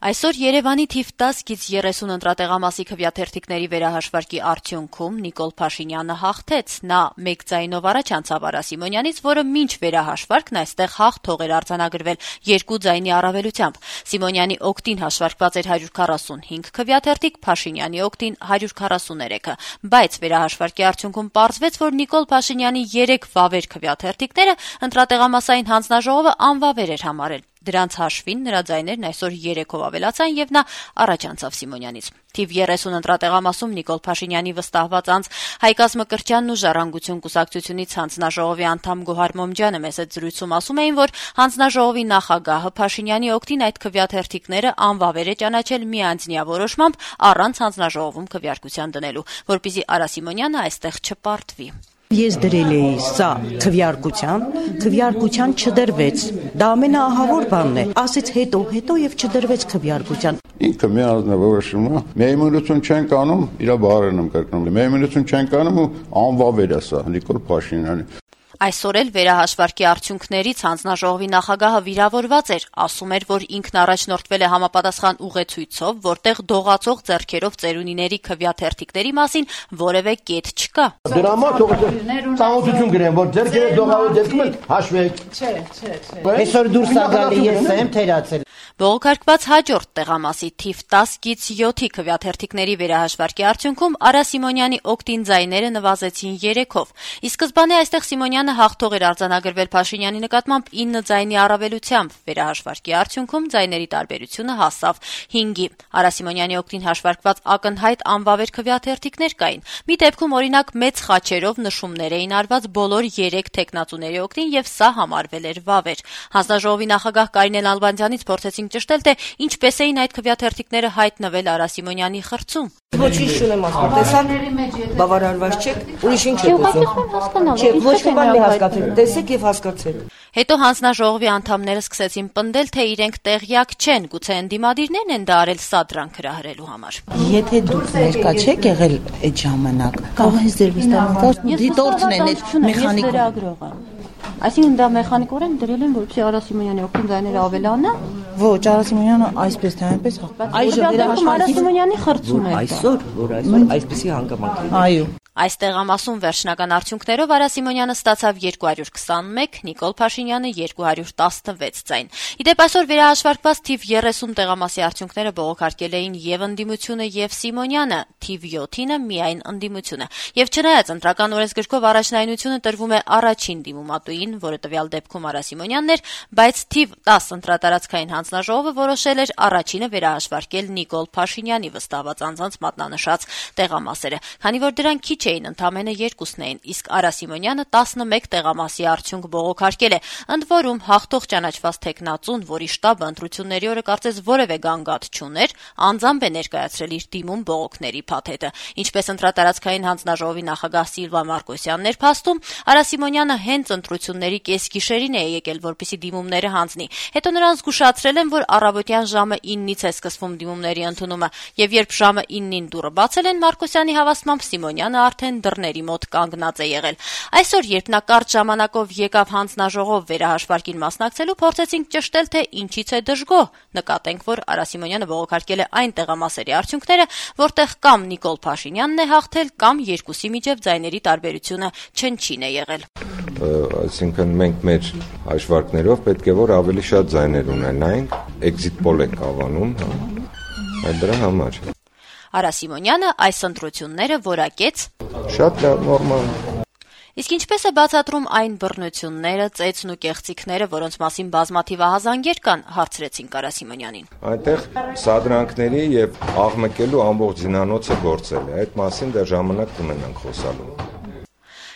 Այսօր Երևանի թիվ 10-30 ընտրատեղամասի քվեաթերթիկների վերահաշվարկի արդյունքում Նիկոլ Փաշինյանը հաղթեց։ Նա մեկ ձայնով առաջ անցավ Արա Սիմոնյանից, որը մինչ վերահաշվարկն այստեղ հաղթող էր արձանագրվել 2 ձայնի առավելությամբ։ Սիմոնյանի օգտին հաշվարկված էր 145 քվեաթերթիկ, Փաշինյանի օգտին 143-ը, բայց վերահաշվարկի արդյունքում պարզվեց, որ Նիկոլ Փաշինյանի 3 վավեր քվեաթերթիկները ընտրատեղամասային հանձնաժողովը անվավեր էր համարել։ Դրանց հաշվին նրա ձայներն այսօր 3-ով ավելացան եւ նա առաջ անցավ Սիմոնյանից։ Թիվ 30 ընտրատեղամասում Նիկոլ Փաշինյանի վստահված անձ Հայկազ Մկրտչյանն ու Ժառանգություն կուսակցությունից հանձնաժողովի անդամ Գոհար Մոմջյանը մեծ զրույցում ասում էին, որ հանձնաժողովի նախագահը Փաշինյանի օգտին այդ քվեաթերթիկները անվավեր է ճանաչել միանձնյա որոշմամբ առանց հանձնաժողովում քվեարկության դնելու, որպեսզի Արա Սիմոնյանը այստեղ չպարտվի։ Ես դրել էի սա քվեարկության չդրվեց։ Դա ամենաահավոր բանն է։ Ասեց հետո եւ չդրվեց քվեարկության։ Ինքը միանձնավորոշում է։ Միայնություն չեն կանում, իր բարերն եմ կրկնում։ Միայնություն չեն կանում ու անվավեր է սա Նիկոլ Փաշինյանի։ Այսօր էլ վերահաշվարկի արդյունքներից հանձնաժողովի նախագահը վիրավորված էր, ասում էր, որ ինքն առաջնորդվել է համապատասխան ուղեցույցով, որտեղ դողացող ձեռքերով ծերունիների քվեաթերթիկների մասին որևէ կետ չկա։ Դրա համար ծանոթություն գրեմ, որ ձեռքերը դողալու դեպքում հաշվեք։ Չէ։ Այսօր դուրս ա գալի, ես եմ թերացել։ Բողոքարկված հաջորդ տեղամասի թիվ 10-7-ի քվեաթերթիկների վերահաշվարկի արդյունքում Արա Սիմոնյանի օգտին ձայները նվազեցին 3-ով։ Ի սկզբանե այստեղ Սիմոնյանը հաղթող էր արձանագրվել Փաշինյանի նկատմամբ 9 ձայնի առավելությամբ։ Վերահաշվարկի արդյունքում ձայների տարբերությունը հասավ 5-ի։ Արա Սիմոնյանի օգտին հաշվարկված ակնհայտ անվավեր քվեաթերթիկներ կային։ Մի դեպքում օրինակ մեծ խաչերով նշումներ էին արված բոլոր 3 տեխնացուների օգտին եւ սա համարվել էր վավեր։ Հանձնաժողովի նախագահ Կարինե Նալբանդյանից փորձեցինք ճշտել, թե ինչպես էին այդ քվեաթերթիկները հայտնվել Արա Սիմոնյանի խրծում։ Ոչինչ չունեմ ասում, տեսան բավարարված չեք, ուրիշ ինչ եք ուզում։ Չէ, ոչ մի բան մի հասկացեք, տեսեք եւ հասկացեք։ Հետո հանձնաժողովի անդամները սկսեցին պնդել, թե իրենք տեղյակ չեն, գուցե ընդդիմադիրներն են դա արել սա դրանք հրահրելու համար։ Եթե դուք ներկա չեք եղել այդ ժամանակ, կարող է ձեր վստահության դիտորդն են այդ մեխանիկը։ Այսինքն դա մեխանիկորեն դրել են, որպեսզի Արա Սիմոնյանի օգտին ձայները ավելանա։ Ոչ, Արա Սիմոնյանը այսպես թե այնպես Այժմ Արա Սիմոնյանի խրծում է։ Որ այսօր այսպեսի հանգամանք։ Այո։ Այս տեղամասում վերջնական արդյունքներով Արա Սիմոնյանը ստացավ 221, Նիկոլ Փաշինյանը 216 ձայն։ Իդեպ այսօր վերահաշվարկված թիվ 30 տեղամասի արդյունքները բողոքարկել էին եւ ընդդիմությունը եւ Սիմոնյանը, թիվ 7-ը միայն ընդդիմությունը։ Եվ չնայած ընտրական օրենսգրքով առաջնայնությունը տրվում է առաջին դիմումատուին, որը տվյալ դեպքում Արա Սիմոնյանն էր, բայց թիվ 10 ընտրատարածքային հանձնաժողովը որոշել էր առաջինը վերահաշվարկել Նիկոլ Փաշինյանի վստահված անձանց մատնանշած տեղամասերը, քանի որ դրանք քիչ էին, ընդամենը 2-ն էին, իսկ Արա Սիմոնյանը 11 տեղամասի արդյունք բողոքարկել է, ընդ որում հաղթող ճանաչված տեխնացուն, որի շտաբը ընտրությունների օրը կարծես որևէ գանգատ չուներ, անձամբ է ներկայացրել իր դիմում բողոքների փաթեթը։ Ինչպես ընտրատարածքային հանձնաժողովի նախագահ Սիլվա Մարկոսյանն էր փաստում, Արա Սիմոնյանը հենց ընտրությունների կեսգիշերին է եկել, որպեսզի դիմումները հանձնի։ Հետո նրան զգուշացրել են, որ առավոտյան ժամը 9-ից է սկսվում դիմումների ընդունումը, եւ երբ ժամը 9-ին դուռը բացել են, Մարկոսյանի հավաստմամբ Սիմոնյանը արդեն դռների մոտ կանգնած է եղել։ Այսօր, երբ նա կարճ ժամանակով եկավ հանձնաժողով վերահաշվարկին մասնակցելու, փորձեցինք ճշտել, թե ինչից է դժգոհ։ Նկատենք, որ Արա Սիմոնյանը բողոքարկել է այն տեղամասերի արդյունքները, որտեղ կամ Նիկոլ Փաշինյանն է հաղթել, կամ երկուսի միջև ձայների տարբերությունը չնչին է եղել։ Այսինքն մենք մեր հաշվարկներով պետք է որ ավելի շատ ձայներ ունենայինք, էքզիտ պոլ ենք անվանում, այդ դրա համար։ Արա Սիմոնյանը այս ընտրությունները որակեց շատ նորմալ։ Իսկ ինչպես է բացատրում այն բռնությունները, ծեծն ու կեղծիքները, որոնց մասին բազմաթիվ ահազանգեր կան, հարցրեցինք Արա Սիմոնյանին։ Այնտեղ սադրանքների եւ աղմկելու ամբողջ զինանոցը գործել է, այդ մասին դեռ ժամանակ կունենանք խոսալու։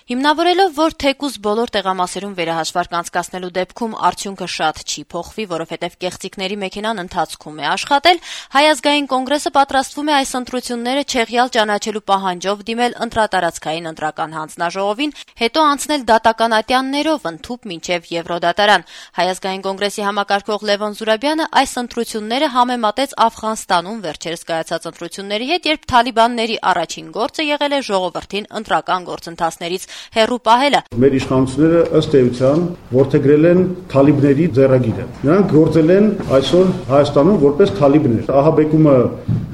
Հիմնավորելով, որ թեկուզ բոլոր տեղամասերում վերահաշվարկ անցկացնելու դեպքում արդյունքը շատ չի փոխվի, որովհետև կեղծիքների մեքենան ընթացքում է աշխատել, Հայ ազգային կոնգրեսը պատրաստվում է այս ընտրությունները չեղյալ ճանաչելու պահանջով դիմել ընտրատարածքային ընտրական հանձնաժողովին, հետո անցնել դատական ատյաններով ընդཐུպ մինչև Եվրոդատարան։ Հայ ազգային կոնգրեսի համակարգող Լևոն Զուրաբյանը այս ընտրությունները համեմատեց Աֆղանստանում վերջերս կայացած ընտրությունների հետ, երբ թալիբանների առաջին գործը եղել է ժողովրդին ընտրական գործընթացներից հեռու պահելը։ Մեր իշխանությունները ըստ էության որդեգրել են թալիբների ձեռագիրը։ Նրանք գործել են այսօր Հայաստանում որպես թալիբներ։ Ահաբեկումը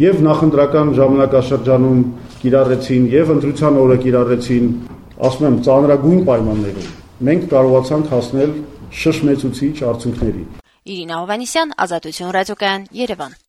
եւ նախընտրական ժամանակաշրջանում կիրառեցին եւ ընտրության օրը կիրառեցին, ասում եմ, ծանրագույն պայմաններում։ Մենք կարողացանք հասնել շշմեցուցիչ արդյունքների։ Իրինա Հովհաննիսյան, Ազատություն ռադիոկայան, Երևան։